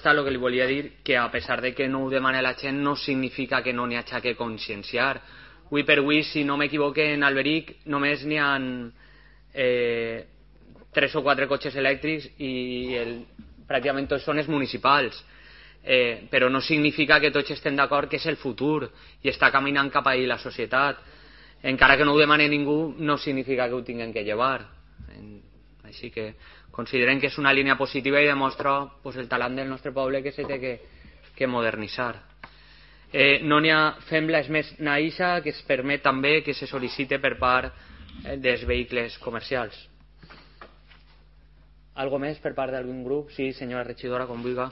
resposta el que li volia dir que a pesar de que no ho demana la gent no significa que no n'hi hagi que conscienciar. Avui per avui, si no m'equivoque, en Alberic només n'hi ha 3 o 4 cotxes elèctrics i pràcticament tots són els municipals. Però no significa que tots estem d'acord que és el futur i està caminant cap ahí la societat. Encara que no ho demani ningú, no significa que ho tinguem que llevar. Així que considerem que és una línia positiva i demostra el talent del nostre poble que s'ha de modernitzar. No n'hi ha fembles més naïssa que es permet també que se sol·licite per part dels vehicles comercials. Algo més per part d'algun grup? Sí, senyora regidora, com vulgui.